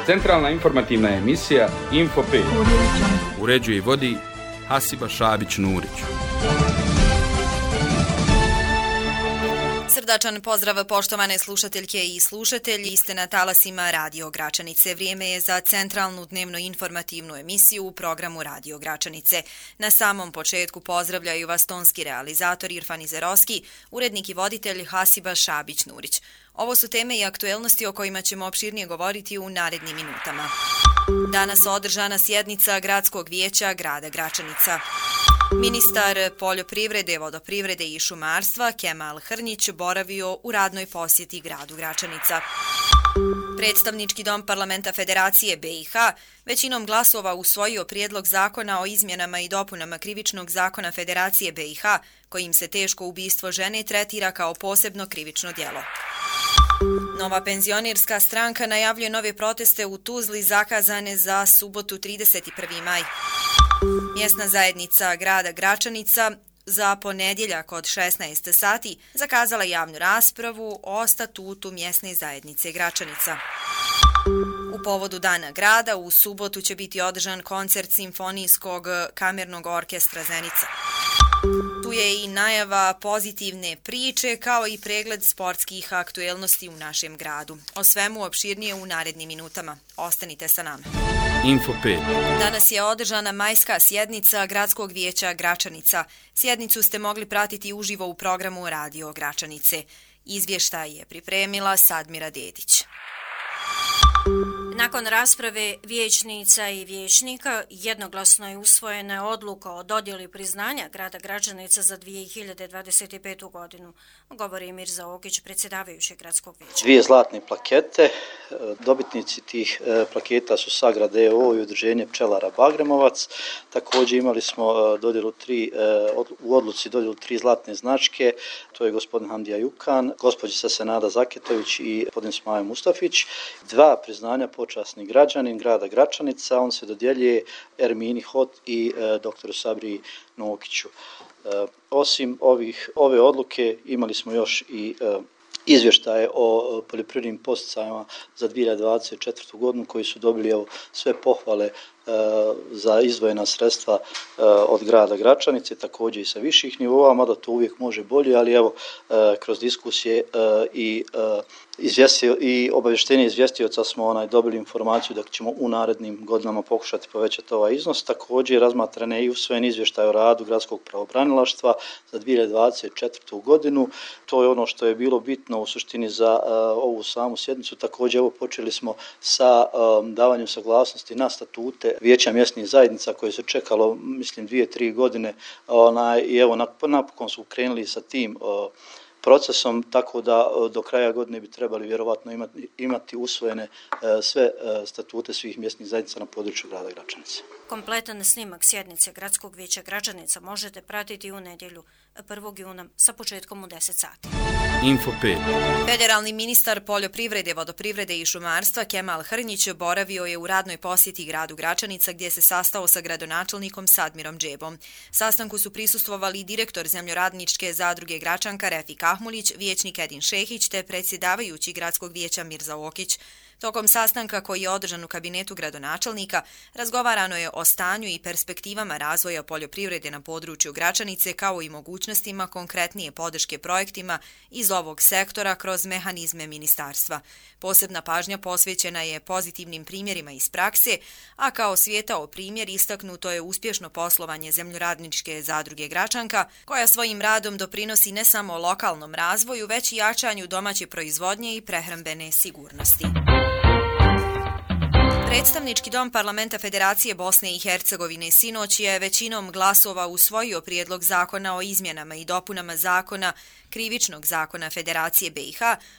Centralna informativna emisija Info 5. Uređuje i vodi Hasiba Šabić-Nurić. Srdačan pozdrav poštovane slušateljke i slušatelji, ste na talasima Radio Gračanice. Vrijeme je za centralnu dnevno informativnu emisiju u programu Radio Gračanice. Na samom početku pozdravljaju vas tonski realizator Irfan Izerovski, urednik i voditelj Hasiba Šabić-Nurić. Ovo su teme i aktuelnosti o kojima ćemo opširnije govoriti u narednim minutama. Danas održana sjednica Gradskog vijeća grada Gračanica. Ministar poljoprivrede, vodoprivrede i šumarstva Kemal Hrnić boravio u radnoj posjeti gradu Gračanica. Predstavnički dom Parlamenta Federacije BiH većinom glasova usvojio prijedlog zakona o izmjenama i dopunama krivičnog zakona Federacije BiH, kojim se teško ubistvo žene tretira kao posebno krivično djelo. Nova penzionerska stranka najavljuje nove proteste u Tuzli zakazane za subotu 31. maj. Mjesna zajednica grada Gračanica za ponedjeljak od 16 sati zakazala javnu raspravu o statutu mjesne zajednice Gračanica. U povodu Dana grada u subotu će biti održan koncert Simfonijskog kamernog orkestra Zenica. Tu je i najava pozitivne priče kao i pregled sportskih aktuelnosti u našem gradu. O svemu opširnije u narednim minutama. Ostanite sa nama. Info 5. Danas je održana majska sjednica Gradskog vijeća Gračanica. Sjednicu ste mogli pratiti uživo u programu Radio Gračanice. Izvještaj je pripremila Sadmira Dedić. Nakon rasprave vijećnica i vijećnika jednoglasno je usvojena odluka o dodjeli priznanja grada Gračanica za 2025. godinu, govori Mirza Okić, predsjedavajući gradskog vijeća. 2 zlatne plakete. Dobitnici tih plaketa su Sagrad EO i Udruženje pčelara Bagremovac. Također imali smo u odluci dodjelu 3 zlatne značke. To je gospodin Hamdija Jukan, gospođica Senada Zaketović i gospodin Smajo Mustafić. 2 priznanja počasni građanin grada Gračanica. On se dodjeljuje Ermini Hot i doktoru Sabri Nokiću. Osim ove odluke imali smo još i izvještaje o poljoprivrednim podsticajima za 2024. godinu koji su dobili sve pohvale za izdvojena sredstva od grada Gračanice, također i sa viših nivoa, mada to uvijek može bolje, ali kroz diskusije i obavještenje izvjestioca smo dobili informaciju da ćemo u narednim godinama pokušati povećati ovaj iznos. Također razmatran je i usvojen izvještaj o radu gradskog pravobranilaštva za 2024. godinu. To je ono što je bilo bitno u suštini za ovu samu sjednicu. Također počeli smo sa davanjem saglasnosti na statute vijeća mjesnih zajednica koje se čekalo, mislim, 2-3 godine i napokon su krenuli sa tim procesom, tako da do kraja godine bi trebali vjerovatno imati usvojene sve statute svih mjesnih zajednica na području grada Gračanice. Kompletan snimak sjednice Gradskog vijeća Gračanica možete pratiti u nedjelju 1. juna sa početkom u 10 sati. Info 5. Federalni ministar poljoprivrede, vodoprivrede i šumarstva Kemal Hrnić boravio je u radnoj posjeti gradu Gračanica gdje se sastao sa gradonačelnikom Sadmirom Džebom. Sastanku su prisustvovali direktor zemljoradničke zadruge Gračanka Refik Ahmulić, vijećnik Edin Šehić te predsjedavajući gradskog vijeća Mirza Okić. Tokom sastanka koji je održan u kabinetu gradonačelnika razgovarano je o stanju i perspektivama razvoja poljoprivrede na području Gračanice kao i mogućnostima konkretnije podrške projektima iz ovog sektora kroz mehanizme ministarstva. Posebna pažnja posvećena je pozitivnim primjerima iz prakse, a kao svijetao primjer istaknuto je uspješno poslovanje zemljoradničke zadruge Gračanka, koja svojim radom doprinosi ne samo lokalnom razvoju, već i jačanju domaće proizvodnje i prehrambene sigurnosti. Predstavnički dom Parlamenta Federacije Bosne i Hercegovine sinoć je većinom glasova usvojio prijedlog zakona o izmjenama i dopunama zakona krivičnog zakona Federacije BiH,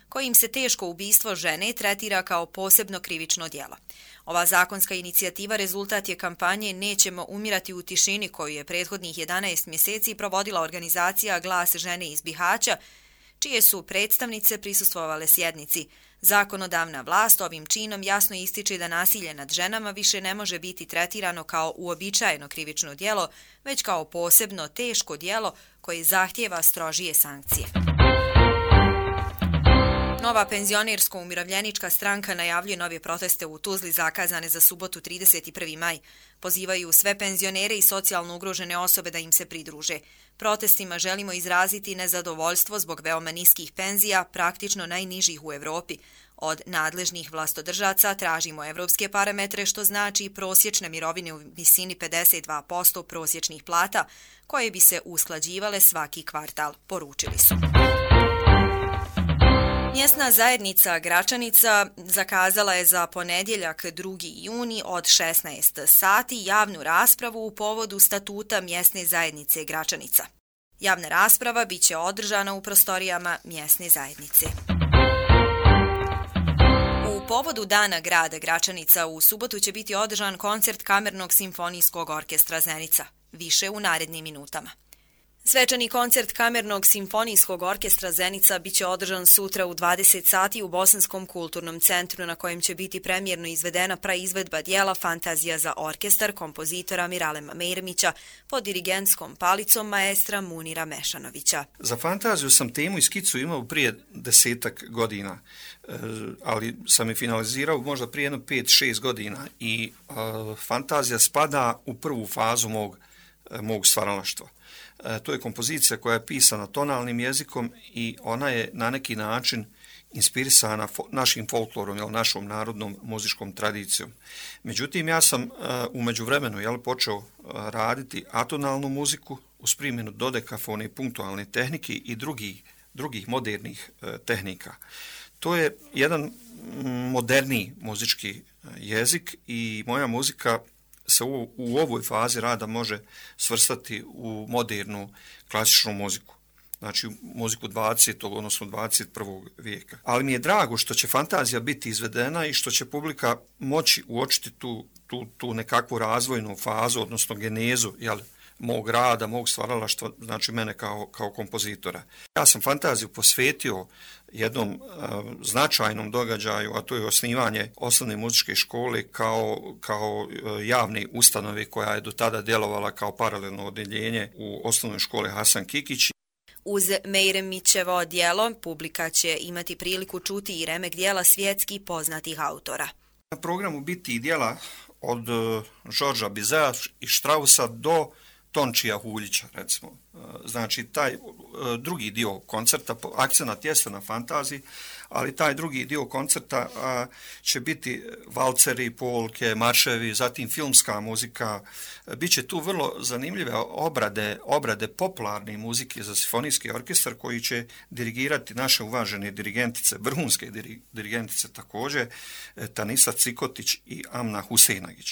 kojim se teško ubistvo žene tretira kao posebno krivično djelo. Ova zakonska inicijativa rezultat je kampanje Nećemo umirati u tišini koju je prethodnih 11 mjeseci provodila organizacija Glas žene iz Bihaća, čije su predstavnice prisustvovale sjednici. Zakonodavna vlast ovim činom jasno ističe da nasilje nad ženama više ne može biti tretirano kao uobičajeno krivično djelo, već kao posebno teško djelo koje zahtijeva strožije sankcije. Nova penzionersko-umirovljenička stranka najavljuje nove proteste u Tuzli zakazane za subotu 31. maj. Pozivaju sve penzionere i socijalno ugrožene osobe da im se pridruže. Protestima želimo izraziti nezadovoljstvo zbog veoma niskih penzija, praktično najnižih u Evropi. Od nadležnih vlastodržaca tražimo evropske parametre, što znači prosječne mirovine u visini 52% prosječnih plata, koje bi se usklađivale svaki kvartal, poručili su. Mjesna zajednica Gračanica zakazala je za ponedjeljak 2. juni od 16 sati javnu raspravu u povodu statuta mjesne zajednice Gračanica. Javna rasprava biće održana u prostorijama mjesne zajednice. U povodu Dana grada Gračanica u subotu će biti održan koncert Kamernog simfonijskog orkestra Zenica. Više u narednim minutama. Svečani koncert Kamernog simfonijskog orkestra Zenica biće održan sutra u 20 sati u Bosanskom kulturnom centru, na kojem će biti premijerno izvedena praizvedba dijela Fantazija za orkestar kompozitora Miralema Mejrmića pod dirigentskom palicom maestra Munira Mešanovića. Za Fantaziju sam temu i skicu imao prije 10 godina, ali sam je finalizirao možda prije 5-6 godina i Fantazija spada u prvu fazu mog stvaralaštva. To je kompozicija koja je pisana tonalnim jezikom i ona je na neki način inspirisana našim folklorom, našom narodnom muzičkom tradicijom. Međutim, ja sam u međuvremenu počeo raditi atonalnu muziku uz primjenu dodekafone i punktualne tehnike i drugih modernih tehnika. To je jedan moderniji muzički jezik i moja muzika se u ovoj fazi rada može svrstati u modernu klasičnu muziku. Znači muziku 20. odnosno 21. vijeka. Ali mi je drago što će Fantazija biti izvedena i što će publika moći uočiti tu nekakvu razvojnu fazu, odnosno genezu mog rada, mog stvaralaštva, znači mene kao kompozitora. Ja sam Fantaziju posvetio jednom značajnom događaju, a to je osnivanje osnovne muzičke škole kao javne ustanove koja je do tada djelovala kao paralelno odeljenje u osnovnoj školi Hasan Kikić. Uz Mejremićevo djelo publika će imati priliku čuti i remek djela svjetski poznatih autora. Na programu biti djela od Georgea Bizea i Straussa do Tončija Huljića, recimo. Znači, taj drugi dio koncerta, akcenat jeste na Fantaziji, ali taj drugi dio koncerta će biti valceri, polke, marševi, zatim filmska muzika. Biće tu vrlo zanimljive obrade popularne muzike za simfonijski orkestar koji će dirigirati naše uvažene dirigentice, vrhunske dirigentice također, Tanisa Cikotić i Amna Huseinagić.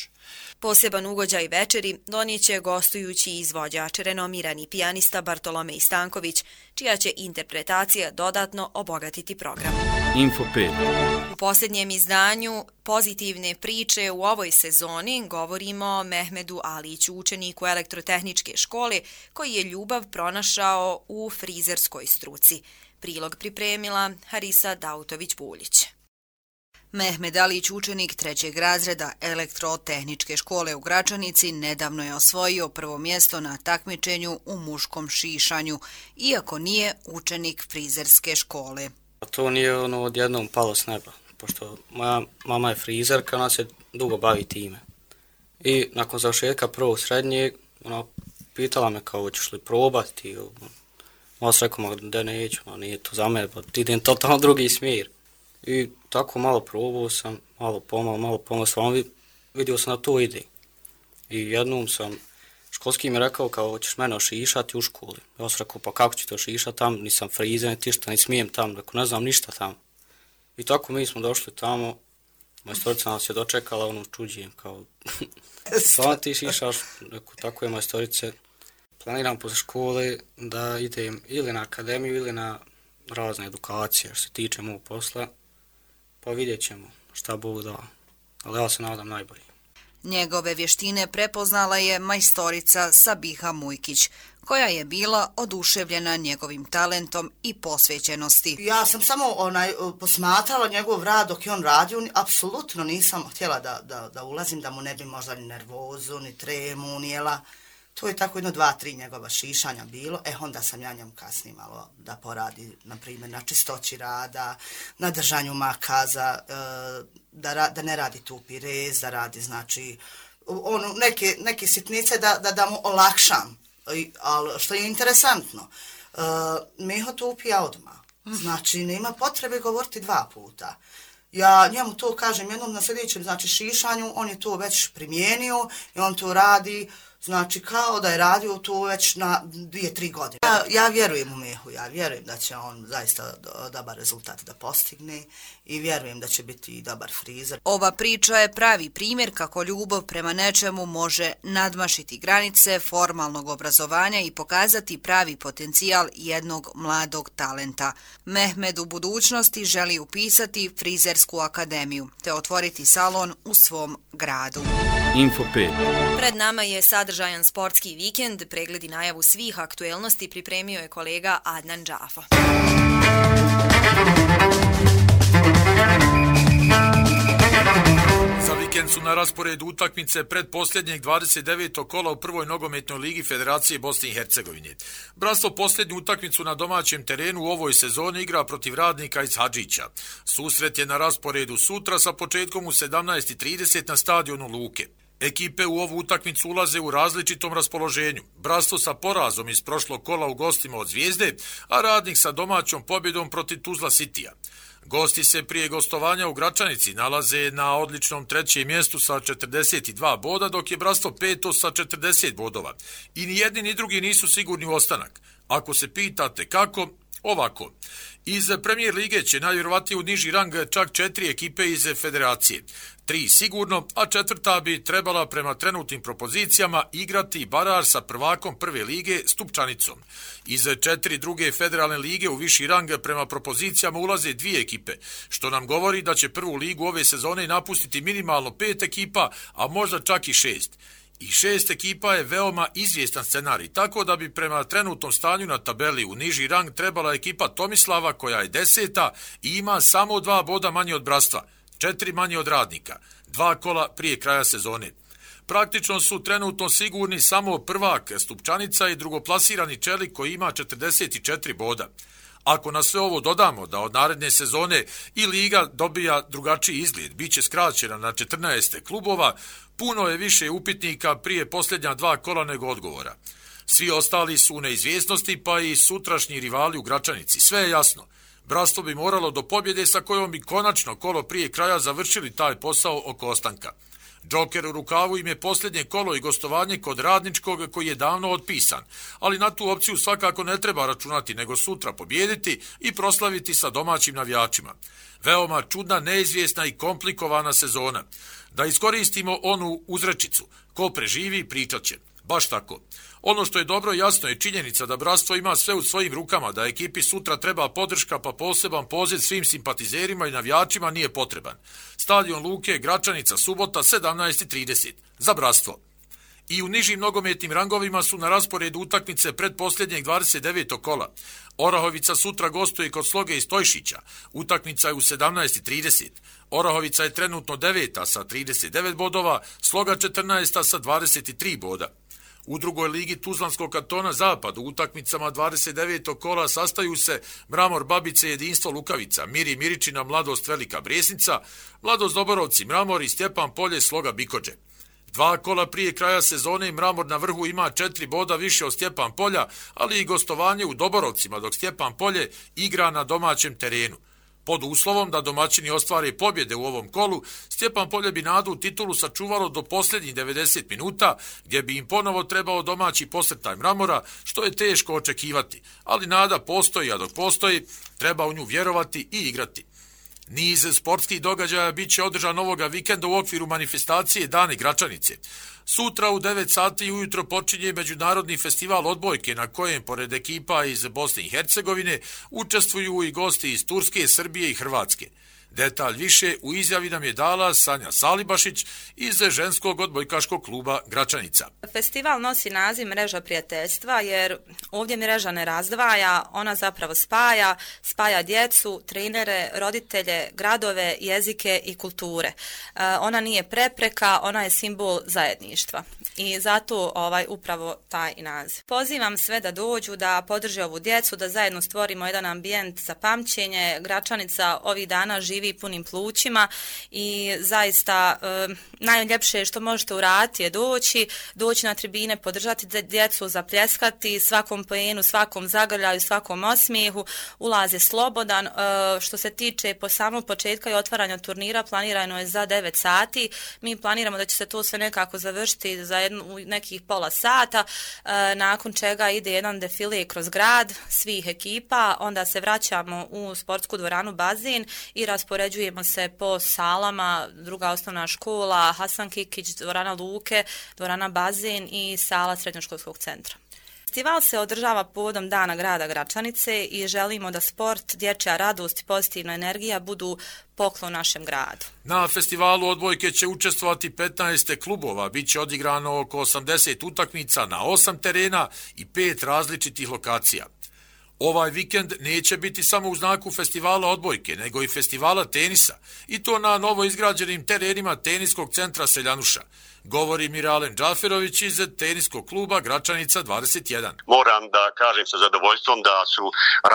Poseban ugođaj večeri donijeće gostujući izvođač, renomirani pijanista Bartolomej Stanković, čija će interpretacija dodatno obogatiti program. Info 5. U posljednjem izdanju pozitivne priče u ovoj sezoni govorimo o Mehmedu Aliću, učeniku elektrotehničke škole, koji je ljubav pronašao u frizerskoj struci. Prilog pripremila Harisa Dautović-Buljić. Mehmed Alić, učenik 3. razreda elektrotehničke škole u Gračanici, nedavno je osvojio prvo mjesto na takmičenju u muškom šišanju, iako nije učenik frizerske škole. To nije odjednom palo s neba, pošto moja mama je frizerka, ona se dugo bavi time. I nakon završetka prvog srednjeg, ona pitala me kao hoćeš li probati. Ja sam rekao da neću, nije to za mene, pa idem totalno drugi smjer. I tako malo probao sam, malo pomalo sam vidio sam da to ide. I jednom sam, školski mi rekao kao hoćeš mene ošišati u školi. Ja sam rekao pa kako ću to ošišati tam, nisam frizer, ni smijem tam, rekao ne znam ništa tamo. I tako mi smo došli tamo, majstorica nas je dočekala, čuđijem kao, stvarno ti šišaš, rekao tako je majstorice. Planiram posle škole da idem ili na akademiju ili na razne edukacije što se tiče mog posla. Pa vidjet ćemo šta Bog da, ali ja se nadam najbolje. Njegove vještine prepoznala je majstorica Sabiha Mujkić, koja je bila oduševljena njegovim talentom i posvećenosti. Ja sam samo posmatrala njegov rad dok je on radio, apsolutno nisam htjela da ulazim, da mu ne bi možda ni nervozu, ni tremu unijela. To je tako 1-2-3 njegova šišanja bilo, onda sam ja njemu kasnije malo da poradi, na primjer, na čistoći rada, na držanju makaza, da ne radi tupi rez, da radi, znači, neke sitnice da mu olakšam. Ali što je interesantno, Miho tupija odmah, znači nema potrebe govoriti 2 puta. Ja njemu to kažem jednom na sljedećem, znači šišanju, on je to već primijenio i on to radi, znači kao da je radio to već na 2-3 godine. Ja vjerujem u Mihu, ja vjerujem da će on zaista dobar rezultat da postigne i vjerujem da će biti i dobar frizer. Ova priča je pravi primjer kako ljubav prema nečemu može nadmašiti granice formalnog obrazovanja i pokazati pravi potencijal jednog mladog talenta. Mehmed u budućnosti želi upisati frizersku akademiju te otvoriti salon u svom gradu. Info 5. Pred nama je sadržajan sportski vikend. Pregled i najavu svih aktuelnosti pripremio je kolega Adnan Džafa. Za vikend su na rasporedu utakmice predposljednjeg 29. kola u prvoj nogometnoj ligi Federacije Bosne i Hercegovine. Bratstvo posljednju utakmicu na domaćem terenu u ovoj sezoni igra protiv Radnika iz Hadžića. Susret je na rasporedu sutra sa početkom u 17:30 na stadionu Luke. Ekipe u ovu utakmicu ulaze u različitom raspoloženju. Bratstvo sa porazom iz prošlog kola u gostima od Zvijezde, a Radnik sa domaćom pobjedom protiv Tuzla Citya. Gosti se prije gostovanja u Gračanici nalaze na odličnom 3. mjestu sa 42 boda, dok je Bratstvo 5. sa 40 bodova. I ni jedni ni drugi nisu sigurni u ostanak. Ako se pitate kako, ovako. Iz Premier lige će najvjerovatnije u niži rang čak 4 ekipe iz Federacije. 3 sigurno, a 4. bi trebala prema trenutnim propozicijama igrati baraž sa prvakom prve lige Stupčanicom. Iz 4 druge federalne lige u viši rang prema propozicijama ulaze 2 ekipe, što nam govori da će prvu ligu ove sezone napustiti minimalno 5 ekipa, a možda čak i 6. I 6 ekipa je veoma izvjestan scenarij, tako da bi prema trenutnom stanju na tabeli u niži rang trebala ekipa Tomislava, koja je 10. i ima samo 2 boda manje od Bratstva, 4 manje od Radnika, 2 kola prije kraja sezone. Praktično su trenutno sigurni samo prvak Stupčanica i drugoplasirani Čelik koji ima 44 boda. Ako na sve ovo dodamo da od naredne sezone i liga dobija drugačiji izgled, bit će skraćena na 14 klubova, puno je više upitnika prije posljednja 2 kola nego odgovora. Svi ostali su u neizvjesnosti, pa i sutrašnji rivali u Gračanici. Sve je jasno. Bratstvo bi moralo do pobjede sa kojom bi konačno kolo prije kraja završili taj posao oko ostanka. Džoker u rukavu im je posljednje kolo i gostovanje kod Radničkog koji je davno otpisan, ali na tu opciju svakako ne treba računati, nego sutra pobijediti i proslaviti sa domaćim navijačima. Veoma čudna, neizvjesna i komplikovana sezona. Da iskoristimo onu uzrečicu, ko preživi pričat će. Baš tako. Ono što je dobro jasno je činjenica da Bratstvo ima sve u svojim rukama, da ekipi sutra treba podrška, pa poseban poziv svim simpatizerima i navijačima nije potreban. Stadion Luke, Gračanica, subota 17:30. Za Bratstvo. I u nižim nogometnim rangovima su na rasporedu utakmice predposljednjeg 29. kola. Orahovica sutra gostuje kod Sloge iz Stojšića. Utakmica je u 17:30. Orahovica je trenutno 9. sa 39 bodova, Sloga 14. sa 23 boda. U drugoj ligi Tuzlanskog kantona Zapad u utakmicama 29. kola sastaju se Mramor Babice, Jedinstvo Lukavica, Miri Miričina, Mladost Velika Bresnica, Mladost Doborovci, Mramor i Stjepan Polje, Sloga Bikođe. 2 kola prije kraja sezone Mramor na vrhu ima 4 boda više od Stjepan Polja, ali i gostovanje u Doborovcima, dok Stjepan Polje igra na domaćem terenu. Pod uslovom da domaćini ostvare pobjede u ovom kolu, Stjepan Polje bi nadu u titulu sačuvalo do posljednjih 90 minuta, gdje bi im ponovo trebao domaći posrtaj Mramora, što je teško očekivati, ali nada postoji, a dok postoji, treba u nju vjerovati i igrati. Niz sportskih događaja bit će održan ovoga vikenda u okviru manifestacije Dani Gračanice. Sutra u 9 sati ujutro počinje Međunarodni festival odbojke na kojem, pored ekipa iz Bosne i Hercegovine, učestvuju i gosti iz Turske, Srbije i Hrvatske. Detalj više u izjavi nam je dala Sanja Salibašić iz ženskog odbojkaškog kluba Gračanica. Festival nosi naziv Mreža prijateljstva jer ovdje mreža ne razdvaja, ona zapravo spaja djecu, trenere, roditelje, gradove, jezike i kulture. Ona nije prepreka, ona je simbol zajedništva i zato upravo taj naziv. Pozivam sve da dođu, da podrže ovu djecu, da zajedno stvorimo jedan ambijent za pamćenje. Gračanica ovih dana živi punim plućima i zaista najljepše što možete uraditi je doći na tribine, podržati djecu, zapljeskati svakom poenu, svakom zagrljaju, svakom osmijehu. Ulaz je slobodan. Što se tiče po samog početka i otvaranja turnira, planirano je za 9 sati. Mi planiramo da će se to sve nekako završiti za nekih pola sata, nakon čega ide jedan defile kroz grad svih ekipa, onda se vraćamo u sportsku dvoranu Bazin i raspoređujemo se po salama, druga osnovna škola, Hasan Kikić, dvorana Luke, dvorana Bazin i sala srednjoškolskog centra. Festival se održava povodom Dana grada Gračanice i želimo da sport, dječja radost i pozitivna energija budu poklon našem gradu. Na festivalu odbojke će učestvovati 15 klubova, bit će odigrano oko 80 utakmica na 8 terena i 5 različitih lokacija. Ovaj vikend neće biti samo u znaku festivala odbojke, nego i festivala tenisa, i to na novo izgrađenim terenima teniskog centra Seljanuša, govori Miralen Džaferović iz teniskog kluba Gračanica 21. Moram da kažem sa zadovoljstvom da su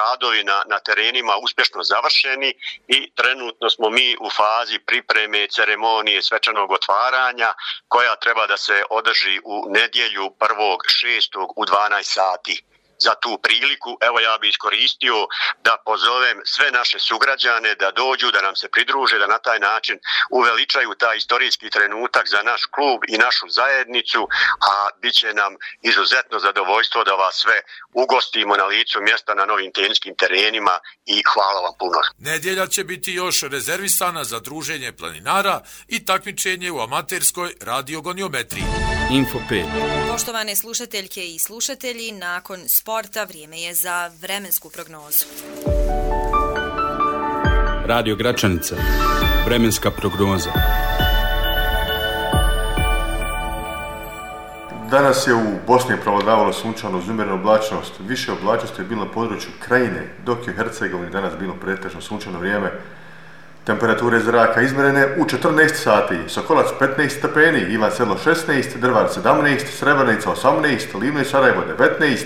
radovi na terenima uspješno završeni i trenutno smo mi u fazi pripreme ceremonije svečanog otvaranja koja treba da se održi u nedjelju 1.6. u 12 sati. Za tu priliku, evo ja bi iskoristio da pozovem sve naše sugrađane da dođu, da nam se pridruže, da na taj način uveličaju taj istorijski trenutak za naš klub i našu zajednicu, a bit će nam izuzetno zadovoljstvo da vas sve ugostimo na licu mjesta na novim teniskim terenima i hvala vam puno. Nedjelja će biti još rezervisana za druženje planinara i takmičenje u amaterskoj radiogoniometriji. Info 5. Poštovane slušateljke i slušatelji, nakon sporta vrijeme je za vremensku prognozu. Radio Gračanica. Vremenska prognoza. Danas je u Bosni prevladavalo sunčano uz umjerenu oblačnost. Više oblačnosti je bilo na području Krajine, dok je u Hercegovini danas bilo pretežno sunčano vrijeme. Temperature zraka izmjerene u 14 sati. Sokolac 15 stepeni, Ivan Sedlo 16, Drvar 17, Srebrenica 18, Livno i Sarajevo 19,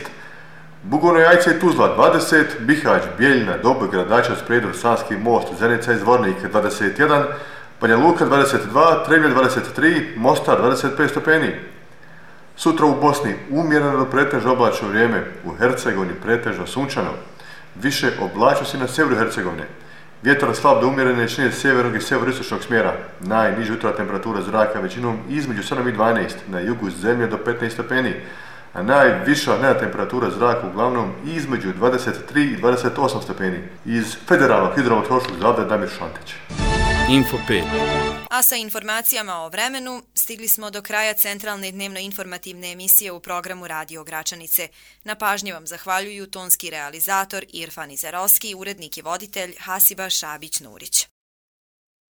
Bugojno Jajce i Tuzla 20, Bihać, Bijeljina, Doboj, Gradačac, Prijedor, Sanski most, Zenica i Zvornik 21, Banja Luka 22, Trebnje 23, Mostar 25 stepeni. Sutra u Bosni umjereno do pretežno oblačno vrijeme, u Hercegovini pretežno sunčano. Više oblačnosti na sjeveru Hercegovine. Vjetar slab do umjerene čine sjevernog i sjeveristočnog smjera. Najniža jutra temperatura zraka većinom između 7 i 12, na jugu zemlje do 15 stepeni, a najviša dnevna temperatura zraka uglavnom između 23 i 28 stepeni. Iz Federalnog hidrometeorološkog zavoda Damir Šantić. Info 5. A sa informacijama o vremenu stigli smo do kraja centralne dnevno-informativne emisije u programu Radio Gračanice. Na pažnji vam zahvaljuju tonski realizator Irfan Izerovski, urednik i voditelj Hasiba Šabić-Nurić.